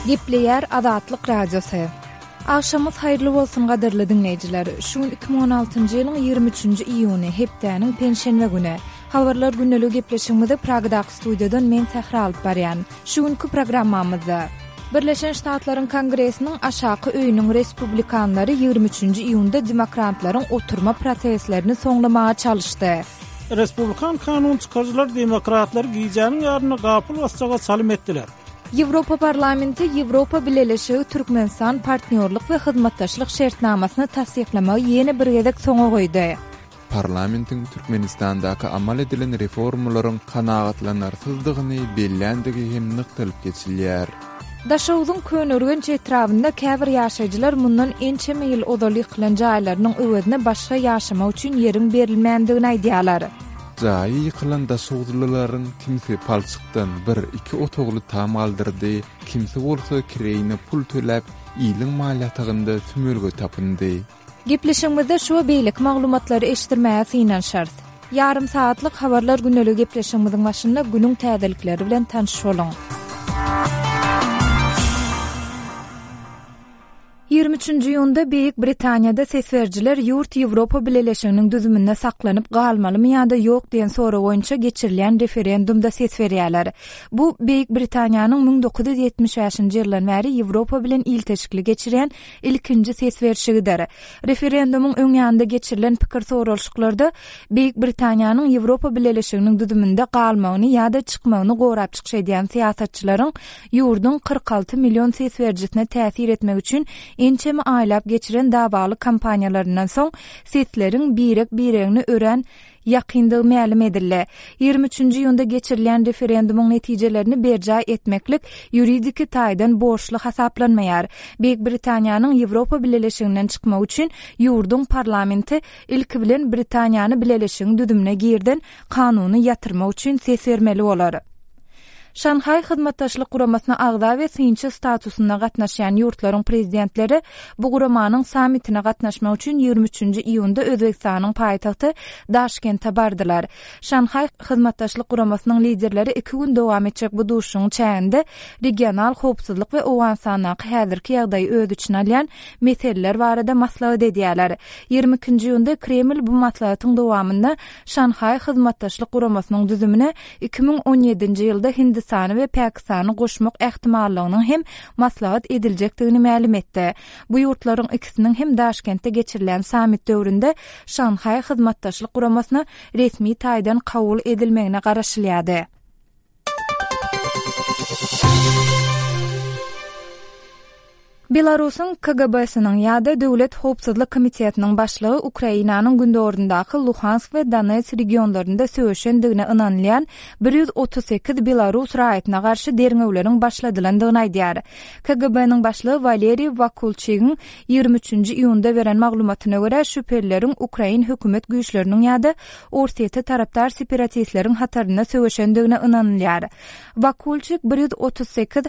Gepleýär Azatlyk Radiosy. Agşamyňyz haýyrly bolsun gadyrly diňleýjiler. Şu gün 2016-njy ýylyň 23-nji iýuny, hepdäniň penşenbe güni. Habarlar gündeligi gepleşigimizi Pragadaky studiýadan men Sähra alyp barýan. Şu günki programmamyzda. Birleşen Ştatlaryň Kongresiniň aşaky öýüniň respublikanlary 23-nji iýunda demokratlaryň oturma proseslerini soňlamaga çalyşdy. Respublikan kanun çykaryjylar demokratlary gijäniň ýarynda gapyl basjaga çalym etdiler. Ýewropa Parlamenti Ýewropa Bileleşigi-Türkmenistan partnýorlyk we hyzmatdaşlyk şertnamasyny tassyklamagy ýene bir gezek soňa goýdy. Parlamentiň Türkmenistandaky amal edilen reformalaryň kanagatlanarsyzdygyny belländigi hem nygtalyp geçilýär. Daşogzuň Köneürgenç etrabynda käbir ýaşaýjylar mundan ençeme ýyl ozal ýykylan jaýlarynyň öwezine başga ýaşamak üçin ýeriň berilmändigini aýdýarlar. Jaýy ýykylan daşoguzlylaryň kimsi palçykdan bir, iki otagly tam galdyrdy, kimsi bolsa kireýine pul töläp, iliň mal ýatagynda sümülge tapyndy. Gepleşigimizde şu we beýleki maglumatlary eşitdirmäge synanyşarys. Ýarym sagatlyk Habarlar gündeligi gepleşigimiziň başynda günüň täzelikleri bilen tanyş boluň. 23-nji iýunda Beýik Britaniýada ses berijiler ýurt Ýewropa Bileleşiginiň düzüminde saklanyp galmalymy ýa-da ýok diýen sorag boýunça geçirilýän referendumda ses berýärler. Bu Beýik Britaniýanyň 1975-nji ýyldan bäri Ýewropa bilen ilteşikli geçirýän ilkinji ses berşigidir. Referendumyň öň ýanynda geçirilen pikir soralyşyklarda Beýik Britaniýanyň Ýewropa Bileleşiginiň düzüminde galmagyny ýa-da çykmagyny gorap çykyş edýän syýasatçylaryň ýurduň 46 million ses berijisine täsir etmek üçin ençeme aýlap geçiren dawaly kampaniýalaryndan soň sesleriň birek-biregine örän ýakyndygy mälim edildi. 23-nji iýunda geçirilýän referendumyň netijelerini berjaý etmeklik ýuridiki taýdan borçly hasaplanmaýar. Beýik Britaniýanyň Ýewropa Bileleşiginden çykmagy üçin ýurduň parlamenti ilki bilen Britaniýany bileleşigiň düzümine girden kanuny ýatyrmak üçin ses bermeli bolar. Şanhaý Hyzmatdaşlyk Guramasyna agza we synçy statusynda gatnaşýan ýurtlaryň prezidentleri bu guramanyň sammitine gatnaşmak üçin 23-nji iýunda Özbegistanyň paýtagty Daşkente bardylar. Şanhaý Hyzmatdaşlyk Guramasynyň liderleri iki gün dowam etjek bu duşuşygyň çäginde regional howpsuzlyk we Owganystandaky häzirki ýagdaýy öz içine alýan meseleler barada maslahat edýärler. 22-nji iýunda Kreml bu maslahatyň dowamynda Şanhaý Hyzmatdaşlyk Guramasynyň düzümine 2017-nji ýylda Hindistany we Pakistany goşmak ähtimallygynyň hem maslahat ediljekdigini mälim etdi. Bu ýurtlaryň ikisiniň hem Daşkentde geçirilýän sammit döwründe Şanhaý Hyzmatdaşlyk Guramasyna resmi taýdan kabul edilmegine garaşylýardy. Belarusyň KGB-siniň ýa-da Döwlet howpsuzlyk komitetiniň başlygy Ukrainanyň gündogaryndaky Luhansk we Donetsk regionlarynda söweşendigine ynanylýan 138 belarus raýatyna garşy derňewleriň başladylandygyny aýdýar. KGB-niň başlygy Waleriý Wakulçigiň 23-nji iýunda beren maglumatyna görä, şübhelileriň ukrain hökümet güýçleriniň ýa-da Orsýete tarapdar separatistleriň hatarynda söweşendigine ynanylýar. Wakulçik 138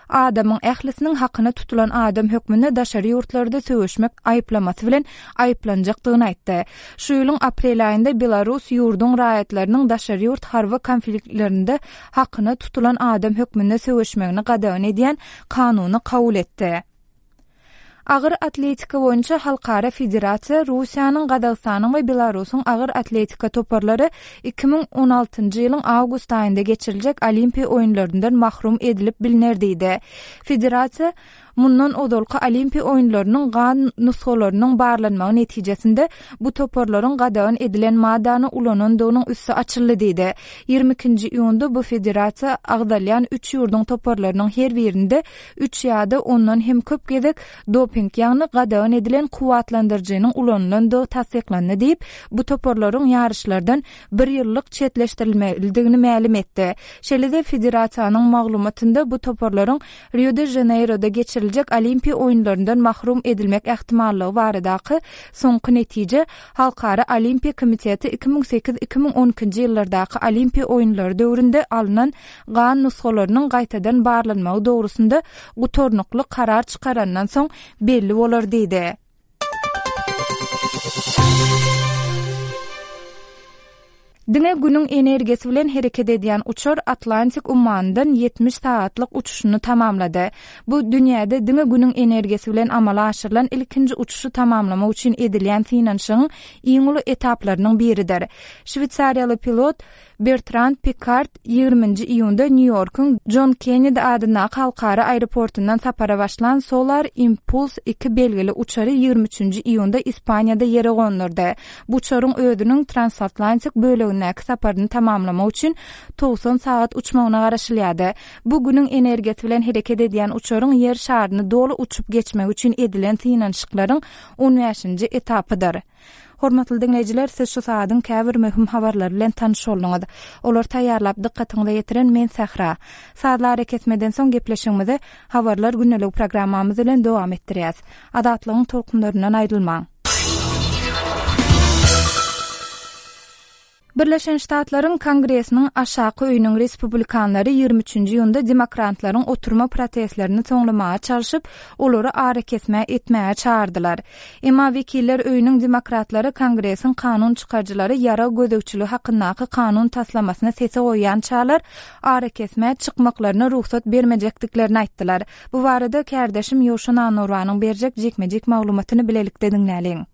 Adamyň ählisiniň hakyna tutulan adam hökmünde daşary ýurtlarda söweşmek aýyplamasy bilen aýyplanjakdygyny aýtdy. Şu ýylyň aprel aýynda Belarus ýurduň raýatlarynyň daşary ýurt harby konfliktlerinde hakyna tutulan adam hökmünde söweşmegini gadagan edýän kanuny kabul etdi. Agyr atletika boýunça halkara federasiýa, Russiýanyň, Gazagystanyň we Belarusyň agyr atletika toparlary 2016-njy ýylyň awgust aýynda geçiriljek Olimpiýa oýunlaryndan mahrum edilip bilner diýdi. Federasiýa mundan ozalky Olimpiýa oýunlarynyň gan nusgalarynyň barlanmagy netijesinde bu toparlaryň gadagan edilen maddany ulanandygynyň üsti açyldy diýdi. 22-nji iýunda bu federasiýa agzalýan üç ýurduň toparlarynyň her birinde üç ýa-da ondan hem köp gezek doping, ýagny gadagan edilen kuwwatlandyryjynyň ulanylandygy tassyklandy diýip, bu toparlaryň ýaryşlardan bir ýyllyk çetleşdirilmelidigini mälim etdi. Şeýle-de federasiýanyň maglumatynda bu toparlaryň Rio-de-Žaneýroda geçiriljek Olimpiýa oýunlaryndan mahrum edilmek ähtimallygy baradaky soňky netije Halkara Olimpiýa komiteti 2008, 2012-nji ýyllardaky Olimpiýa oýunlary döwründe alnan gan nusgalarynyň gaýtadan barlanmagy dogrusynda gutarnykly karar çykarandan soň belli bolar diýdi. Diňe Günüň energiýasy bilen hereket edýän uçar Atlantik ummanyndan 70 sagatlyk uçuşyny tamamlady. Bu dünýäde diňe Günüň energiýasy bilen amala aşyrylan ilkinji uçuşy tamamlamak üçin edilýän synanyşygyň iň uly etaplarynyň biridir. Şweýsariýaly pilot Bertrand Pikard ýigriminji iýunda Nýu-Ýorkuň Jon Kennedi adyndaky halkara aeroportundan sapara başlan Solar Impulse iki belgili uçary 23 nji iýunda Ispaniýada ýere gondurdy. Bu uçaryň özüniň transatlantik bölegindäki saparyny tamamlamak üçin 90 sagat uçmagyna garaşylýardy. Bu Günüň energiýasy bilen hereket edýän uçaryň Ýer şaryny doly uçup geçmegi üçin edilen synanyşyklaryň on bäşinji etapydyr. Hormatly diňleýjiler, siz şu sagadyň käbir möhüm habarlary bilen tanyş bolduňyz. Olary taýýarlap dykgatyňyza ýetiren men Sähra. Sazly arakesmeden soň gepleşigimizi Habarlar gündeligi programmamyz bilen dowam etdirýäs. Azatlygyň tolkunlaryndan aýrylmaň! Birleşen Ştatlaryň Kongresiniň aşaky öýüniň respublikanlary 23-nji iýunda demokratlaryň oturma protestlerini soňlamaga çalşyp, olary arakesme etmäge çagyrdylar. Emma Wekiller öýüniň demokratlary Kongresiň kanun çykaryjylary ýarag gözegçiligi hakyndaky kanun taslamasyny sese goýýançalar arakesmä çykmaklaryna rugsat bermejekdiklerini aýtdylar. Bu barada kärdeşim Ýowşan Annurbanyň berjek jikme-jik maglumatyny bilelikde diňläliň.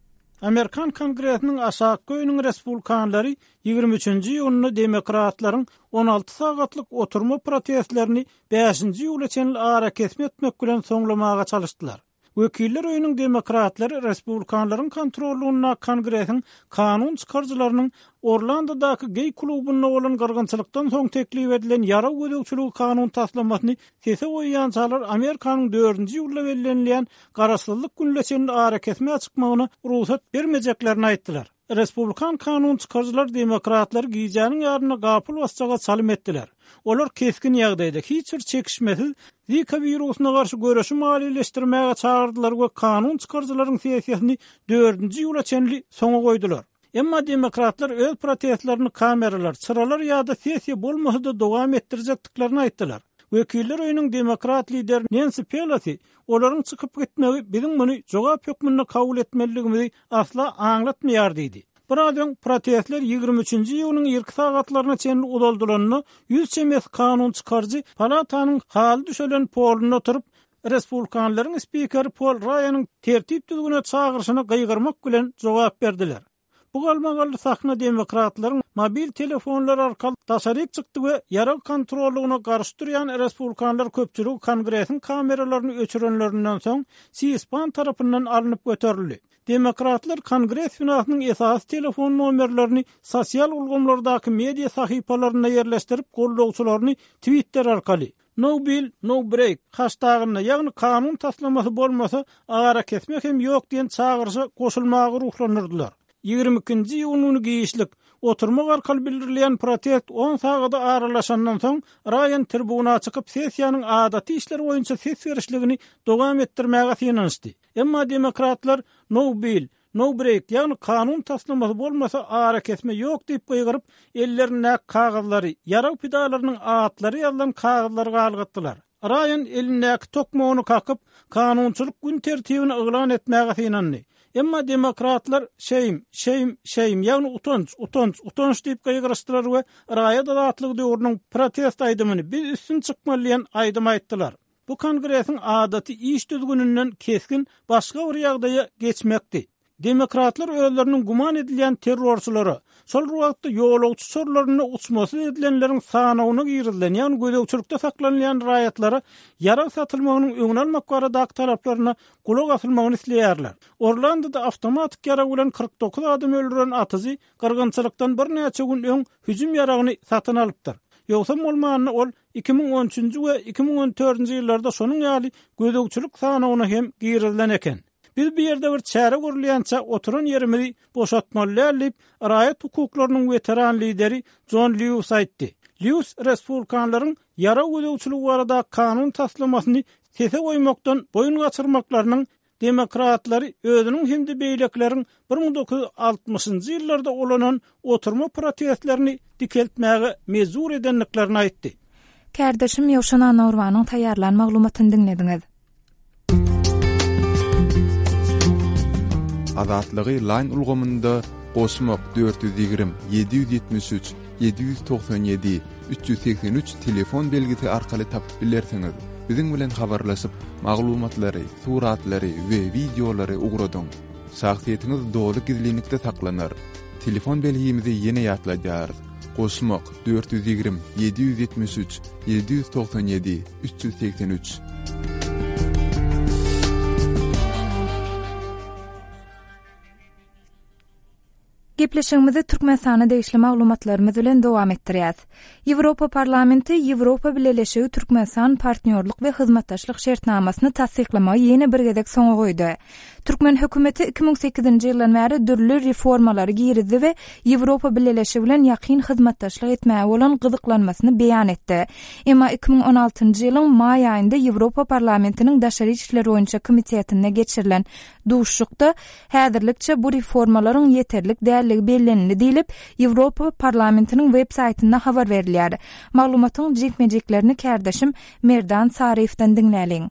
Amerikan Kongresiniň aşakky öýüniň respublikanlary 23-nji iýunda demokratlaryň 16 sagatlyk oturma protestlerini bäşinji iýula çenli arakesme etmek bilen soňlamaga çalyşdylar. Wekiller öýüniň demokratlary respublikanlaryň kontrollygyndaky Kongresiň kanun çykaryjylarynyň Orlandodaky geý klubynda bolan gyrgynçylykdan soň teklip edilen ýarag gözegçiligi kanun taslamasyny sese goýýançalar Amerikanyň dördünji iýulda bellenilýän Garaşsyzlyk gününe çenli arakesmä çykmagyna rugsat bermejeklerini aýtdylar. Respublikan kanun çykaryjylar demokratlary gijäniň ýarynda gapyl basjaga çalym etdiler. Olar kesgin ýagdaýda, hiç bir çekişmesiz Zika wirusyna garşy göreşi maliýeleşdirmäge çagyrdylar we kanun çykaryjylaryň sessiýasyny dördünji iýula çenli soňa goýdular. Emma demokratlar öz protestlerini kameralar, çyralar ýa-da sessiýa bolmasa-da dowam etdirjekdiklerini aýtdylar. Wekiller öýüniň demokrat lideri Nensi Pelosi olaryň çykyp gitmegi biziň muny jogap hökmünde kabul etmelidigimizi asla aňlatmaýar diýdi. Biraz öň protestler 23-nji iýunyň irki sagatlaryna çenli uzaldylanda, ýüz çemesi kanun çykaryjy palatanyň haly düşelen polunda oturyp, respublikanlaryň spikeri Pol Raýanyň tertip-düzgüne çagyryşyna gygyrmak bilen jogap berdiler. Bu galmagally sahna demokratlaryň mobil telefonlary arkaly daşaryk çykdy we ýarag kontrollygyna garşy durýan respublikanlar köpçüligi Kongresiň kameralaryny öçürenlerinden soň C-SPAN tarapyndan alnyp göterildi. Demokratlar Kongres binasynyň esasy telefon nomerlerini sosial ulgamlardaky media sahypalarynda ýerleşdirip, goldawçylaryny Twitter arkaly, No bill, no break haştagynda, ýagny kanun taslamasy bolmasa, arakesme hem ýok diýen çagyryşa goşulmaga ruhlandyrdylar. 22-nji iýun güni giçlik, oturmak arkaly bildirilýän protest on sagada aralaşandan soň, Raýan tribuna çykyp, sessiýanyň adaty işler boýunça ses berişligini dowam etdirmäge synanyşdy. Emma demokratlar No bill, No break, ýagny kanun taslamasy bolmasa arakesme ýok diýip gygyryp, ellerindäki kagyzlary, ýarag pidalarynyň atlary ýazylan kagyzlary galgatdylar. Raýan elindäki tokmagyny kakyp, kanunçylyk gün tertibini yglan etmäge synandy. Emma demokratlar Shame, shame, shame, ýagny utanç, utanç, utanç diýip gygyryşdylar we raýat azatlygy döwrüniň protest aýdymyny Biz üstün çykmaly diýen aýdymy aýtdylar. Bu Kongresiň adaty iş düzgüninden kesgin başga bir ýagdaýa geçmekdi. Demokratlar özleriniň güman edilýän terrorçylara, şol bir wagtda ýolagçy uçarlarynda uçmasyz edilenleriň sanawyna girizilen, ýagny gözegçilikde saklanylýan raýatlara ýarag satylmagynyň öňüni almak baradaky talaplaryna gulak asylmagyny isleýärler. Orlandoda awtomatik ýarag bilen 49 adamy öldüren atyjy gyrgynçylykdan birnäçe gün öň hüjüm ýaragyny satyn alypdyr. Ýogsam bolmanda ol 2013-nji we 2014-nji ýyllarda şonuň ýaly gözegçilik sanawyna hem girizilen eken. Biz bu ýerde bir çäre görülýänçä oturan ýerimizi boşatmaly däl diýip, raýat hukuklarynyň weteran lideri Jon Lýuis aýtdy. Lýuis respublikanlaryň ýarag gözegçiligi baradaky kanun taslamasyny sese goýmakdan boýun gaçyrmaklarynyň demokratlary özüniň hem-de beýlekileriň 1960-njy ýyllarda ulanan oturma protestlerini dikeltmäge mejbur edendiklerini aýtdy. Kärdeşim Ýowşan Annagurbanyň taýýarlan maglumatyny diňlediňiz. Azatlygy Line ulgamynda. Goşmak 420 773 797 383 telefon belgisi arkaly tapyp bilersiňiz. Biziň bilen habarlaşyp, maglumatlary, suratlary we wideolary ugradyň. Şahsyýetiňiz doly gizlinlikde saklanar. Telefon belgimizi ýene ýatladýarys. Goşmak, 420 773 797 383. Gepleşigimizi Türkmenistana degişli maglumatlarymyz bilen dowam etdirýäs. Ýewropa Parlamenti Ýewropa Bileleşigi Türkmenistan partnýorlyk we hyzmatdaşlyk şertnamasyny tassyklamagy ýene bir gezek soňa goýdy. Türkmen hökümeti 2008-nji ýyldan bäri dürli reformalary girizdi we Ýewropa Bileleşigi bilen ýakyn hyzmatdaşlyk etmäge bolan gyzyklanmasyny beýan etdi. Emma 2016-njy ýylyň maý aýynda Ýewropa Parlamentiniň Daşary işler boýunça komitetinde geçirilen duşuşykda Häzirlikçe bu reformalaryň ýeterlik däldigi bellenildi diýlip, Ýewropa Parlamentiniň web saýtynda habar berilýär. Maglumatyň jikme-jiklerini kärdeşim Merdan Saryýewden diňläliň.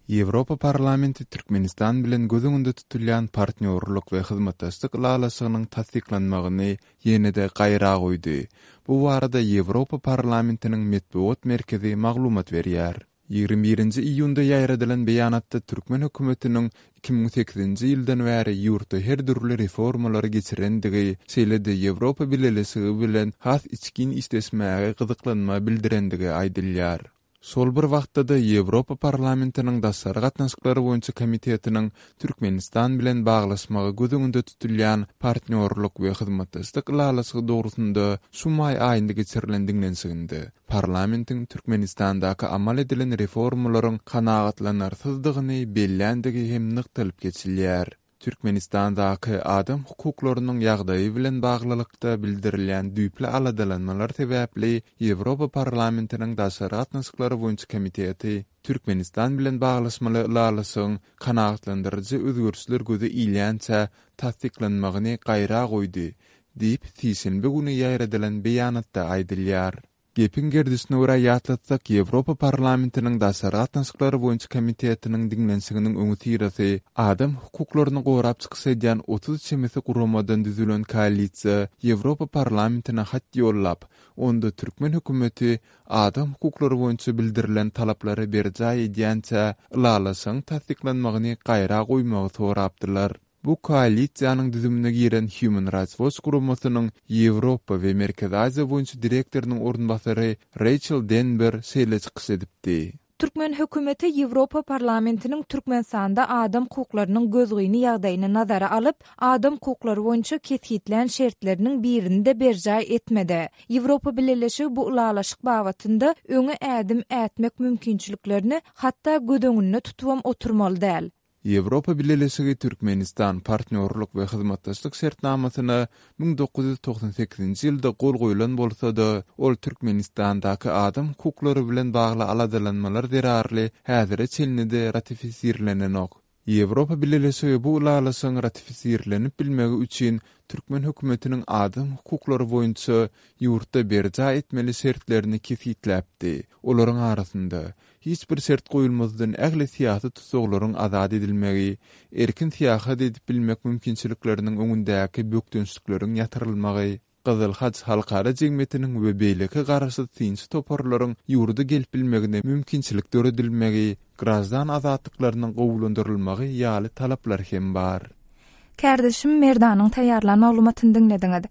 Ýewropa Parlamenti Türkmenistan bilen göz öňünde tutulýan partnýorlyk we hyzmatdaşlyk ylalaşygynyň tassyklanmagyny ýene-de gaýra goýdy. Bu barada Ýewropa Parlamentiniň metbugat merkezi maglumat berýär. 21-nji iýunda ýaýradylan beýanatda türkmen hökümetiniň 2008-nji ýyldan bäri ýurtda her dürli reformalary geçirendigi, şeýle-de Ýewropa Bileleşigi bilen has içgin işleşmäge gyzyklanma bildirendigi aýdylýar. Şol bir wagtda-da Ýewropa Parlamentiniň Daşary gatnaşyklar boýunça komitetiniň Türkmenistan bilen baglaşmagy göz öňünde tutulýan Partnýorlyk we hyzmatdaşlyk ylalaşygy dogrusynda şu maý aýynda geçirilen diňlenişiginde parlamentiň Türkmenistandaky amal edilen reformalaryň kanagatlanarsyzdygyny belländigi hem nygtalyp geçilýär. Türkmenistandaky adam hukuklarynyň ýagdaýy bilen baglylykda bildirilýän düýpli aladalanmalar sebäpli Ýewropa Parlamentiniň Daşary gatnaşyklar boýunça komiteti Türkmenistan bilen baglaşmaly ylalaşygyň kanagatlandyryjy özgerişler göze ilýänçä tassyklanmagyny gaýra goýdy diýip, sişenbe güni ýaýradylan beýanatda aýdylýar. Gepiň gerdişine görä ýatlatsak, Ýewropa Parlamentiniň Daşary gatnaşyklar boýunça komitetiniň diňlenişiginiň öňüsyrasy adam hukuklaryny gorap çykyş edýän 30 çemesi guramadan düzülen koalisiýa Ýewropa Parlamentine hat ýollap, onda türkmen hökümeti adam hukuklary boýunça bildirilen talaplary berjaý edýänçä ylalaşygyň tassyklanmagyny gaýra goýmagy sorapdylar. Bu koalisiýanyň düzümine giren Human Rights Watch guramasynyň Ýewropa we Merkezi Aziýa boýunça direktorynyň orunbasary Reýçel Denber şeýle çykyş edipdi. Türkmen hökümeti Ýewropa Parlamentiniň Türkmenistanda adam hukuklarynyň gözgyny ýagdaýyny nazara alyp, adam hukuklary boýunça kesgitlän şertleriniň birini-de berjaý etmedi. Ýewropa Bileleşigi bu ylalaşyk babatynda öňe ädim ätmek mümkinçiliklerini hatda göz öňünde tutubam oturmaly däl. Ýewropa Bileleşigi Türkmenistan partnýorlyk we hyzmatdaşlyk şertnamasyna 1998-nji ýylda gol goýlan bolsa-da, ol Türkmenistandaky adam hukuklary bilen bagly aladalanmalar zerarly häzire çenli-de ratifisirlenenok. Ýewropa Bileleşigi bu ylalaşygyň ratifisirlenip bilmegi üçin türkmen hökümetiniň adam hukuklary boýunça ýurtda berjaý etmeli şertlerini kesgitläpdi. Olaryň arasynda, hiç bir şert goýulmazdan ähli syýasy tussaglaryň azat edilmegi, erkin syýahat edip bilmek mümkinçilikleriniň öňündäki bökdençlikleriň ýatyrylmagy, Gyzyl Haç halkara jemgyýetiniň we beýleki garaşsyz synçy toparlaryň ýurda gelip bilmegine mümkinçilik döredilmegi, graždan azatlyklarynyň gowulandyrylmagy ýaly talaplar hem bar. Kärdeşim Merdanyň taýýarlan maglumatyny diňlediňiz.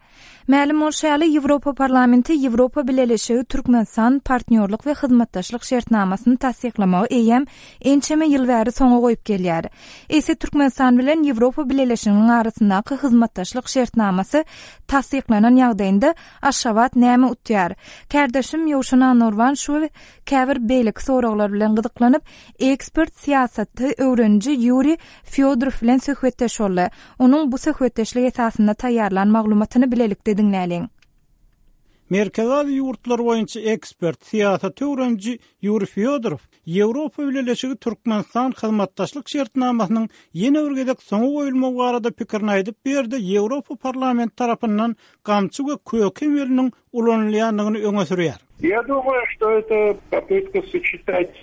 Mälim bolşy ýaly, Ýewropa Parlamenti Ýewropa Bileleşigi Türkmenistan partnýorlyk we hyzmatdaşlyk şertnamasyny tassyklamagy eýýäm ençeme ýyl bäri soňa goýup gelýär. Eýse Türkmenistan bilen Ýewropa Bileleşiginiň arasyndaky hyzmatdaşlyk şertnamasy tassyklanan ýagdaýynda Aşgabat näme utýar? Kärdeşim Ýowşan Annagurban şu we käbir beýleki soraglar bilen gyzyklanyp, ekspert, syýasaty öwreniji Ýuriý Fýodorow bilen söhbetdeş boldy. Onuň bu söhbetdeşlik esasynda taýýarlan maglumatyny bilelikde diňläliň. Merkezi Aziýa ýurtlary boýunça ekspert, syýasaty öwreniji Ýuriý Fýodorow Ýewropa Bileleşigi Türkmenistan hyzmatdaşlyk şertnamasynyň ýene bir gezek soňa goýulmagy barada pikirini aýdyp, bu ýerde Ýewropa Parlamenti tarapyndan gamçy we köke emeliniň ulanylýandygyny öňe sürýär. Ýa dumаю, что это popytka soçetать,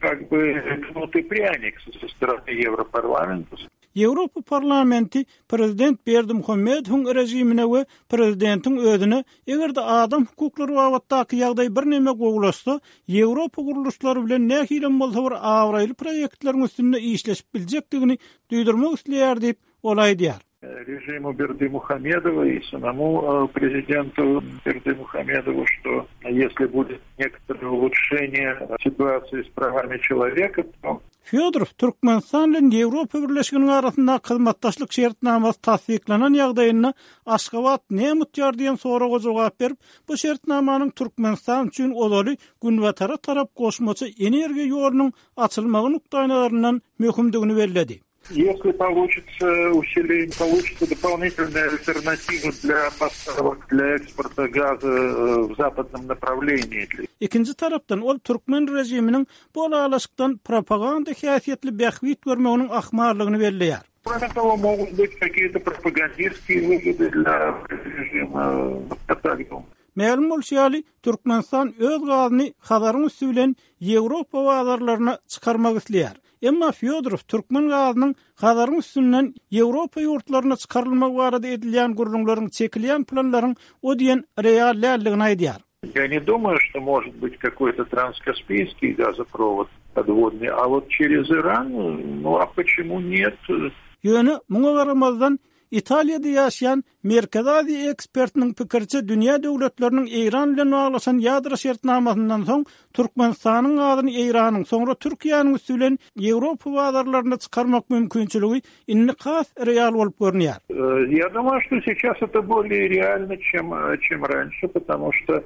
kak by, knut i prýanik so strany Ýewroparlamenta. Ýewropa Parlamenti prezident Berdimuhamedowyň režimine we prezidentiň özüne eger-de adam hukuklary babatdaky ýagdaý birneme gowulaşsa, Ýewropa gurluşlary bilen nähilem bolsa bir abraýly proýektleriň üstünde işleşip biljekdigini duýdurmak isleýär diýip, ol aýdýar. Režimu Berdimuhamedowa i samomu prezidentu Berdimuhamedowu, что если будет некоторое улучшение ситуации с правами человека, то Fýodorow Türkmenistan bilen Ýewropa Birleşiginiň arasyndaky hyzmatdaşlyk şertnamasy tassyklanan ýagdaýynda Aşgabat näme utýar diýen soraga jogap berip, bu şertnamanyň Türkmenistan üçin ozaly Günbatara tarap goşmaça energiýa ýolunyň açylmagy nukdaýnazaryndan möhümdigini belledi. Если получится усиление, получится дополнительная альтернатива для поставок, для экспорта газа в западном направлении. Ikinji tarapdan, ol türkmen režiminiň bu ylalaşykdan propaganda häsiýetli bähbit görmeginiň ahmallygyny belleýär. Кроме того, могут быть какие-то пропагандистские выгоды для режима, я так думаю. Mälim bolşy ýaly, Türkmenistan öz gazyny Hazaryň üsti bilen Ýewropa bazarlaryna çykarmak isleýär. Emma Fýodorow türkmen gazynyň Hazaryň üstünden Ýewropa ýurtlaryna çykarylmagy barada edilýän gürrüňleriň çekilýän planlaryň o diýen real däldigini aýdýar. Я не думаю, что может быть какой-то транскаспийский газопровод подводный, а вот через Иран, ну а почему нет? Ýöne muňa garamazdan, Italiýada ýaşaýan Merkezi Aziýa ekspertiniň pikiriçe, dünýä döwletleriniň Eýran bilen baglaşan ýadro şertnamasyndan soň Türkmenistanyň gazyny Eýranyň, soňra Türkiýäniň üsti bilen Ýewropa bazarlaryna çykarmak mümkinçiligi indi has real bolup görünýär. Я думаю, что сейчас это более реально, чем, чем раньше, потому что,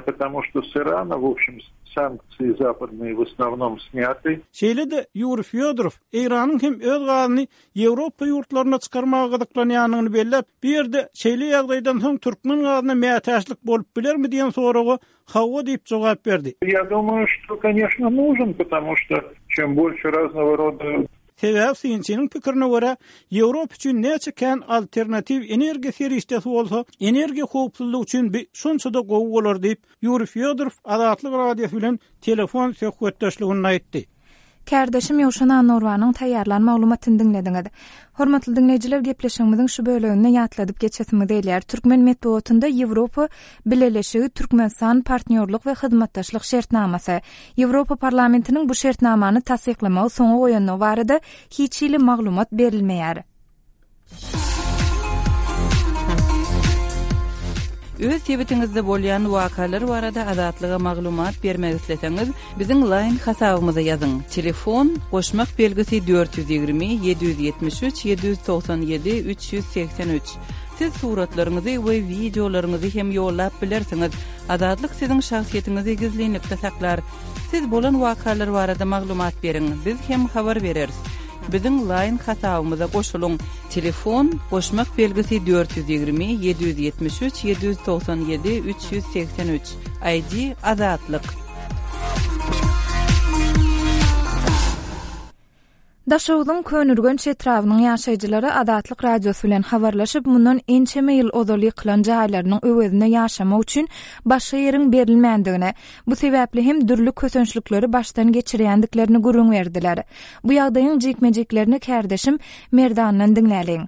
потому что с Ирана, в общем, санкции западные в основном сняты. Şeýle-de Ýuriý Fýodorow Eýranyň hem öz gazyny Ýewropa ýurtlaryna çykarmaga gyzyklanýandygyny belläp, bu ýerde şeýle ýagdaýdan soň türkmen gazyna mätäçlik bolup bilermi diýen soraga hawa diýip jogap berdi. Я думаю, что, конечно, нужен, потому что чем больше разного рода Sebäbi synçynyň pikirine görä, Ýewropa üçin näçe kän alternatiw energiýa serişdesi bolsa, energiýa howpsuzlygy üçin bi şonça-da gowy bolar diýip, Ýuriý Fýodorow Azatlyk Radiosy bilen telefon söhbetdeşliginde aýtdy. Kärdeşim Ýowşan Annagurbanyň taýýarlan maglumatyny diňlediňiz. Hormatly diňleýjiler gepleşigimiziň şu böleginde ýatladyp geçesimiz gelýär. Türkmen metbugatynda Ýewropa Bileleşigi Türkmenistan partnýorlyk we hyzmatdaşlyk şertnamasy, Ýewropa Parlamentiniň bu şertnamany tassyklamagy soňa goýandygy barada hiç hili maglumat berilmeýär. Öz sebitiňizde bolýan wakalar barada Azatlyga maglumat bermek isleseňiz, biziň Line hasabymyza ýazyň, telefon, goşmak belgisi 420 773 797 383. Siz suratlaryňyzy we wideolaryňyzy hem ýollap bilersiňiz. Azatlyk siziň şahsyýetiňizi gizlinlikde saklar. Siz bolan wakalar barada maglumat beriň, biz hem habar bereris. Biziň Line hasabymyza goşulyň, telefon, goşmak belgisi 420 773 797 383, ID, Azatlyk. Daşogzuň Köneürgenç etrabynyň ýaşaýjylary Azatlyk Radiosy bilen habarlaşyp, mundan ençeme ýyl ozal ýykylan jaýlarynyň öwezine ýaşamak üçin başga ýeriň berilmändigini, bu sebäpli hem dürli kösençlikleri başdan geçirýändiklerini gürrüň berdiler. Bu ýagdaýyň jikme-jiklerini kärdeşim Merdandan diňläliň.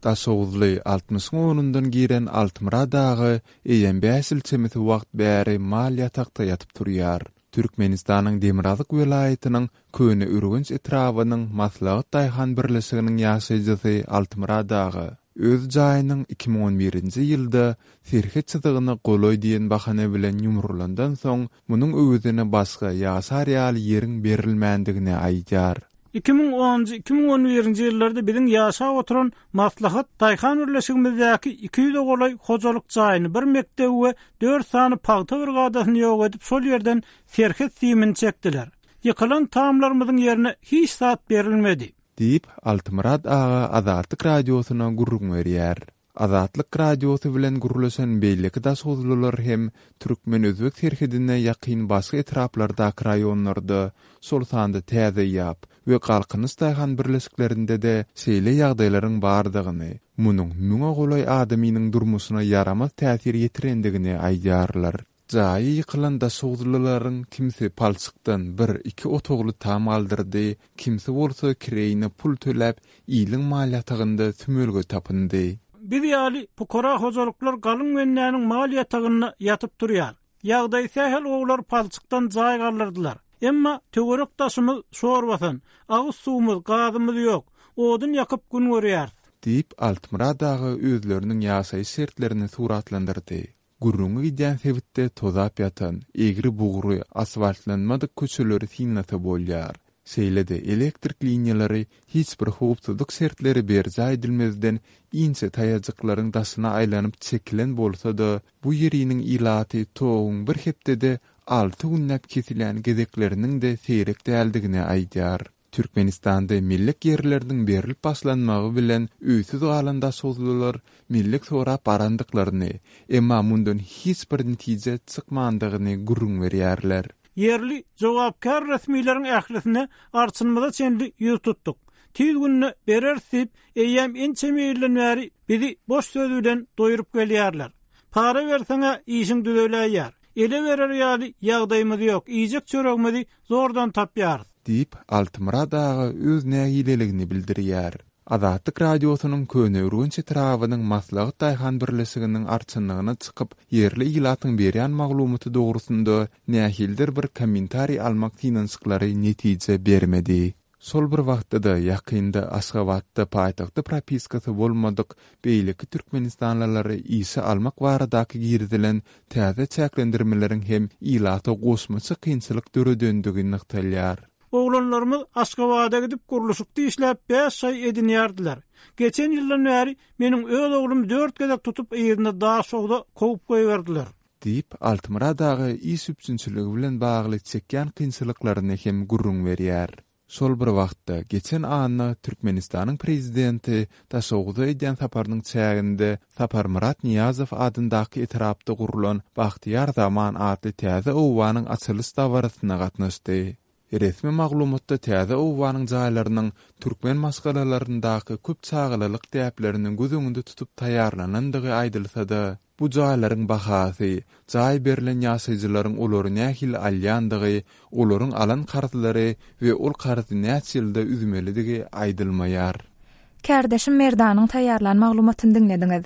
Daşoguzly altmyşyň onundan giren Altymyrat aga eýýäm bäş ýyl çemesi wagt bäri mal ýatakda ýatyp turýar. Türkmenistanyň demirgazyk welaýatynyň Köneürgenç etrabynyň Maslahat daýhan birleşiginiň ýaşaýjysy Altymyrat aga öz jaýynyň 2011-nji ýylda serhet çyzygyna golaý diýen bahana bilen ýumrulandan soň, munuň öwezine başga ýaşar ýaly ýeriň berilmändigini aýdýar. 2010-njy, 2011-nji ýyllarda biziň ýaşap oturan Maslahat daýhan birleşigimizdäki 200-e golaý hojalyk jaýyny, bir mekdebi we dört sany pagta brigadasyny ýok edip, şol ýerden serhet simini çekdiler. Ýykylan tamlarymyzyň ýerine hiç zat berilmedi. Diýip, Altymyrat aga Azatlyk Radiosyna gürrüň berýär. Azatlyk Radiosy bilen gürleşen beýleki daşoguzlylar hem türkmen-özbek serhedine ýakyn başga etraplardaky raýonlarda, şol sanda Täze ýap we Galkynyş daýhan birleşiklerinde-de şeýle ýagdaýlaryň bardygyny, munuň müňe golaý adamynyň durmuşyna ýaramaz täsir ýetirendigini aýdýarlar. Jaýy ýykylan daşoguzlylaryň kimsi palçykdan bir, iki otagly tam galdyrdy, kimsi bolsa kireýine pul töläp, iliň mal ýatagynda sümelge tapyndy. Biz ýaly pukara hojalyklar galyň bendäniň mal ýatagynda ýatyp turýar. Ýagdaýy sähel gowular palçykdan jaý galdyrdylar. Emma töwerek-daşymyz şor basan, agyz suwumyz, gazymyz ýok. Odun ýakyp gün görýäris. Diýip, Altymyrat aga özleriniň ýaşaýyş şertlerini suratlandyrdy. Gürrüňi gidýän sebitde tozap ýatan, egri-bugry, asfaltlanmadyk köçeleri synlasa bolýar. Şeýle-de, elektrik liniýalary hiç bir howpsuzlyk şertleri berjaý edilmezden inçe taýajyklaryň daşyna aýlanyp çekilen bolsa-da, bu ýeriniň ilaty toguň bir hepdede alty günläp kesilýän gezekleriniň-de seýrek däldigini aýdýar. Türkmenistanda mellek ýerleriniň berlip başlanmagy bilen öýsüz galan daşoguzlylar mellek sorap barandyklaryny, emma mundan hiç bir netije çykmandygyny gürrüň berýärler. Ýerli jogapkär resmileriň ählisine arçynymyza çenli ýüz tutduk. Tiz günde bereris diýip, eýýäm ençeme ýyldan bäri bizi boş söz bilen doýrup gelýärler. Para berseň-ä işiň düzeläýýär. Ele berer ýaly ýagdaýymyz ýok, iýjek çöregimizi zordan tapýarys. Diýip, Altymyrat aga öz nägileligini bildirýär. Azatlyk Radiosynyň Köneürgenç etrabynyň Maslahat daýhan birleşiginiň arçynlygyna çykyp, ýerli ilatyň berýän maglumaty dogrusynda nähilidir bir kommentariý almak synanyşyklary netije bermedi. Şol bir wagtda-da, ýakynda Aşgabatda paýtagtda propiskasy bolmadyk beýleki türkmenistanlylary işe almak baradaky girizilen täze çäklendirmeleriň hem ilata goşmaça kynçylyk döredendigi nygtalýar. Oglanlarymyz Aşgabada gidip gurluşykda işläp bäş şaý edinýärdiler. Geçen ýyldan bäri meniň öz oglumy dört gezek tutup yzyna Daşogza kowup goýberdiler. Diýip, Altymyrat aga iş üpjünçiligi bilen bagly çekýän kynçylyklaryny hem gürrüň berýär. Şol bir wagtda, geçen anna Türkmenistanyň Prezidenti Daşoguza edýän saparynyň çäginde Saparmyrat Nyýazow adyndaky etrapda gurlan Bagtyýar zaman atly täze obanyň açylyş dabarasyna gatnaşdy. Resmi maglumatda täze obanyň jaýlarynyň türkmen maşgalalaryndaky köp çagalylyk däplerini göz öňünde tutup taýýarlanandygy aýdylsa-da, bu jaýlaryň bahasy, jaý berlen ýaşaýjylaryň olary nähili alýandygy, olaryň alan karzlary we ol karzy näçe ýylda üzmelidigi aýdylmaýar. Kärdeşim Merdanyň taýýarlan maglumatyny diňlediňiz.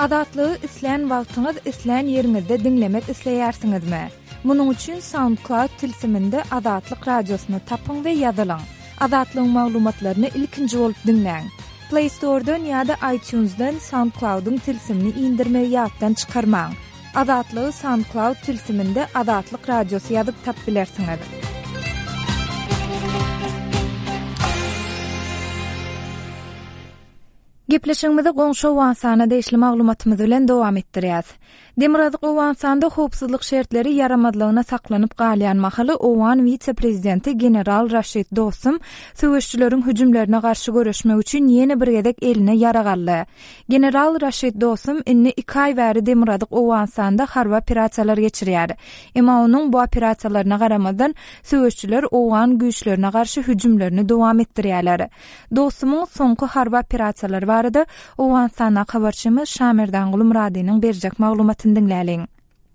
Azatlygy islän wagtyňyz, islän ýeriňizde diňlemek isleýärsiňizmi? Munuň üçin SoundCloud tilsiminde Azatlyk Radiosyny tapyň we ýazylyň. Azatlygyň maglumatlaryny ilkinji bolup diňläň. Play Store-dan ýa-da iTunes-dan SoundCloud-yň tilsimini indirmegi ýatdan çykarmaň. Azatlygy SoundCloud tilsiminde Azatlyk Radiosy ýazyp tap bilersiňiz. Gepleşigimizi goňşy Owganystana degişli maglumatymyz bilen dowam etdirýäs. Demirgazyk Owganystanda howpsuzlyk şertleri ýaramazlygyna saklanyp galýan mahaly owgan wise-prezidenti general Raşid Dostum söweşijileriň hüjümlerine garşy göreşmek üçin ýene bir gezek eline ýarag aldy. General Raşid Dostum indi iki aý bäri Demirgazyk Owganystanda harby operasiýalar geçirýär. Emma onuň bu operasiýalaryna garamazdan, söweşijiler owgan güýçlerine garşy hüjümlerini dowam etdirýärler. Dostumyň soňky harby operasiýalary barada Owganystandaky habarçymyz Şamerdanguly Myradynyň berjek maglumatyny diňläliň.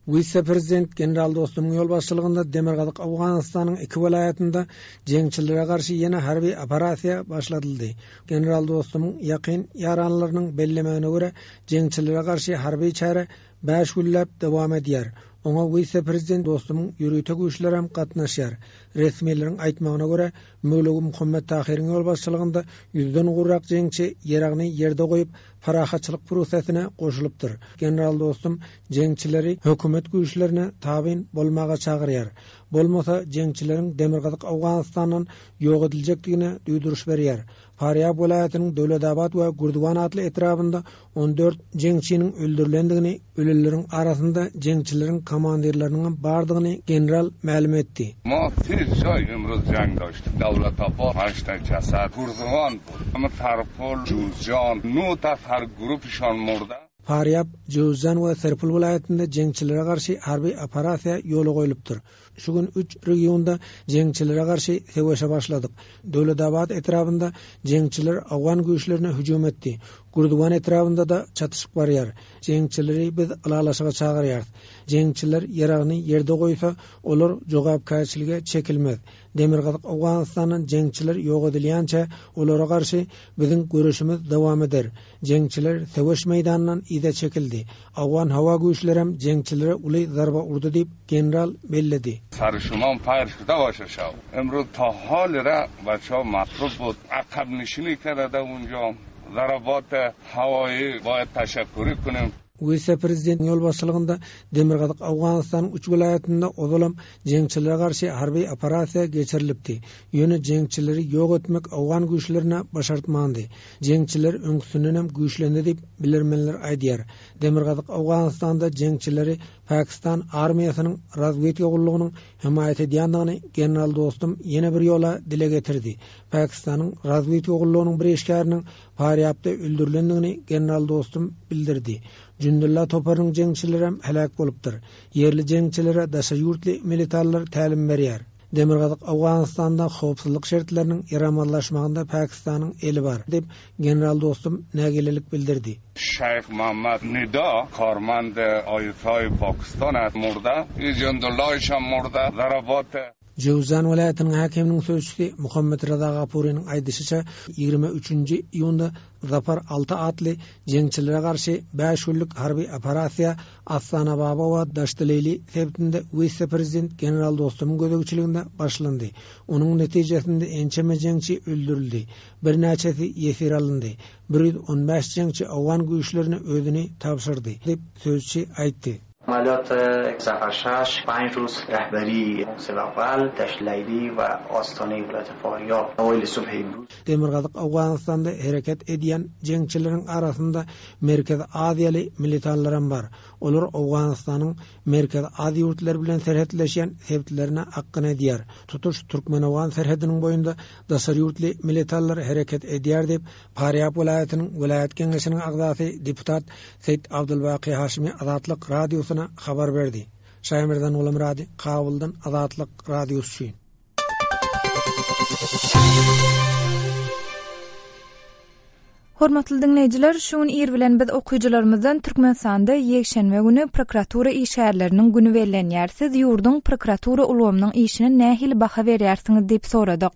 Wise-prezident general Dostumyň ýolbaşçylygynda Demirgazyk Owganystanyň iki welaýatynda jeňçilere garşy ýene harby operasiýa başladyldy. General Dostumyň ýakyn ýaranlarynyň bellemegine görä, jeňçilere garşy harby çäre bäş günläp dowam edýär. Oňa wise-prezident Dostumyň ýörite güýçlerem gatnaşýar. Resmileriň aýtmagyna görä, Möwlewi Muhammet Tahyryň ýolbaşçylygynda ýüzden gowrak jeňçi ýaragyny ýerde goýup, parahatçylyk prosesine goşulypdyr. General Dostum jeňçileri hökümet güýçlerine tabyn bolmaga çagyrýar. Bolmasa, jeňçileriň Demirgazyk Owganystandan ýok ediljekdigine duýduryş berýär. Farýab welaýatynyň Döwletabat we Gürdiwan atly etrabynda 14 jeňçiniň öldürilendigini, ölenleriň arasynda jeňçileriň komandirleriniňem bardygyny general mälim etdi. Ma se jaý imruz jang daştik, Dawlatabat haşt jasad, Gürdiwan bud, Sarpol, Juzjan, nu nafar grupişan murda. Farýab, Jöwüzjan we Serpil welaýatynda jeňçilere garşy harby operasiýa ýola goýlupdyr. Şu gün üç regionda jeňçilere garşy söweşe başladyk. Döwletabat etrabynda jeňçiler owgan güýçlerine hüjüm etdi. Gürduwan etrabynda-da çatyşyk barýar. Jeňçileri biz ylalaşyga çagyrýarys. Jeňçiler ýaragyny ýerde goýsa, olar jogapkärçilige çekilmez. Demirgazyk Owganystandan jeňçiler ýok edilýänçä, olara garşy biziň göreşimiz dowam eder. Jeňçiler söweş meýdanyndan yza çekildi. Owgan howa güýçlerem jeňçilere uly zarba urdy diýip, general belledi. Sary şumam paýr şuda başa şaw. Emruz ta hal ra baça matrub bud. Akab nişini kerede unja. Zarabat hawaýy baýat taşakkuri kunim. Wise-prezidentiň ýolbaşçylygynda Demirgazyk Owganystanyň üç welaýatynda ozalam jeňçilere garşy harby operasiýa geçirilipdi. Ýöne jeňçileri ýok etmek owgan güýçlerine başartmandy. Jeňçiler öňküsindenem güýçlendi diýip, bilermenler aýdýar. Demirgazyk Owganystanda jeňçileri Pakistan armiýasynyň razwedka gullugynyň hemaýat edýändigini general Dostum ýene bir ýola dile getirdi. Pakistanyň razwedka gullugynyň bir işgäriniň Farýapda öldürilendigini general Dostum bildirdi. Jündulla toparynyň jeňçilerem heläk bolupdyr. Ýerli jeňçilere daşary ýurtly militarlar tälim berýär. Demirgazyk Owganystanda howpsuzlyk şertleriniň ýaramazlaşmagynda Pakistanyň eli bar, diýip, general Dostum nägilelik bildirdi. Şeýh Muhammad Nida karmand ISI Pakistan murda, Jündullaýşam murda, zarabat. Jöwzjan welaýatynyň häkiminiň sözçüsi Muhammet Reza Gapurynyň aýdyşyça, 23-nji iýunda Zafar alty atly jeňçilere garşy bäş günlük harby operasiýa Astanababa we Daşdyleýli sebitinde wise-prezident general Dostumyň gözegçiliginde başlandy. Onuň netijesinde ençeme jeňçi öldürildi, birnäçesi ýesir alyndy, 115 jeňçi owgan güýçlerine özüni tabşyrdy, diýip, sözçi aýtdy. Amaliyot Zafar şaş panj ruz rehberi Selawal, Daşt Leýli we Ostane welaýat Faryab awayl subh imruz. Demirgazyk Owganystanda hereket edýän jeňçileriň arasynda Merkezi Aziýaly militanlaram bar. Olar Owganystanyň Merkezi Aziýa ýurtlary bilen serhetleşýän sebitlerine akgyn edýär. Tutuş türkmen-owgan serhediniň boýunda daşary ýurtly militanlar hereket edýär diýip, Farýab welaýatynyň welaýat geňeşiniň agzasy deputat Seýit Abdulbaky Haşymy Azatlyk Radiosyna habar berdi. Şaýmerdan Gulamyrady, Kabuldan Azatlyk Radiosy üçin. Hormatly diňleýjiler, şu gün ir bilen biz okyjylarymyzdan Türkmenistanda ýekşenbe güni prokuratura işgärleriniň güni bellenýär. Siz ýurduň prokuratura ulgamynyň işine nähili baha berýärsiňiz diýip soradyk.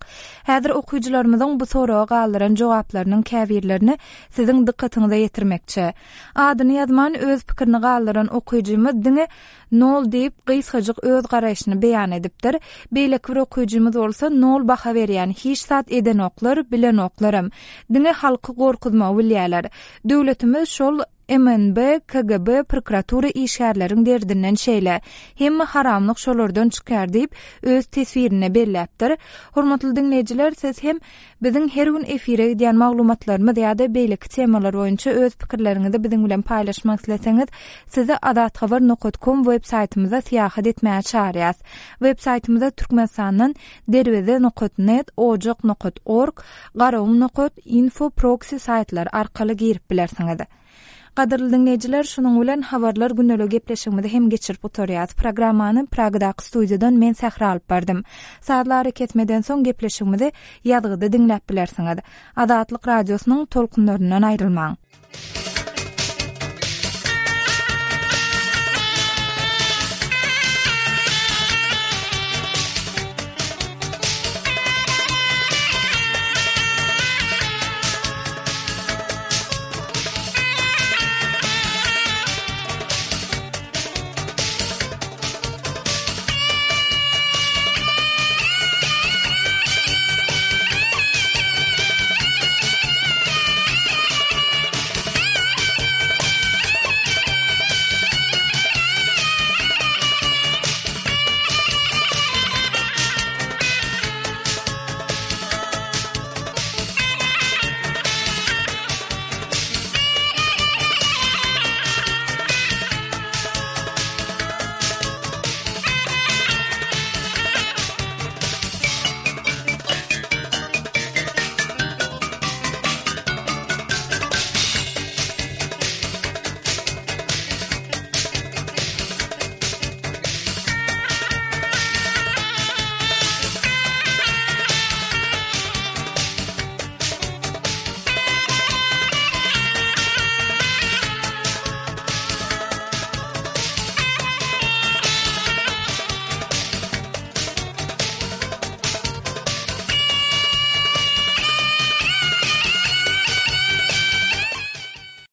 Häzir okyjylarymyzyň bu soraga galdyran jogaplarynyň käbirlerini siziň dykgatyňyza ýetirmekçi. Adyny ýazman öz pikirini galdyran okyjymyz diňe nol diýip gysgajyk öz garaýşyny beýan edipdir. Beýleki bir okyjymyz bolsa nol baha berýän, hiç zat edenoklar, bilenoklaram. Diňe halky gorkuzmagy bilýäler. Döwletimiz şol MNB, KGB, prokuratura işgärleriň derdinden şeýle. Hemme haramlyk şolardan çykýar diýip, öz teswirinde belläpdir. Hormatly diňleýjiler, siz hem biziň her gün efire gidýän maglumatlarymyz ýa-da beýleki temalar boýunça öz pikirleriňizi biziň bilen paýlaşmak isleseňiz, sizi azathabar nokat kom web saýtymyza syýahat etmäge çagyrýas. Web saýtymyza Türkmenistandan Derweze nokat net, Ojak nokat org, Garagum nokat info proksi saýtlary arkaly girip bilersiňiz. Gadyrly diňleýjiler, şunuň bilen Habarlar gündeliği gepleşigimizi hem geçirip gutarýas. Programmany Pragadaky studiýadan men Sähra alyp bardym. Sazly arakesmeden soň gepleşigimizi ýazgyda diňläp bilersiňiz. Azatlyk Radiosynyň tolkunlaryndan aýrylmaň.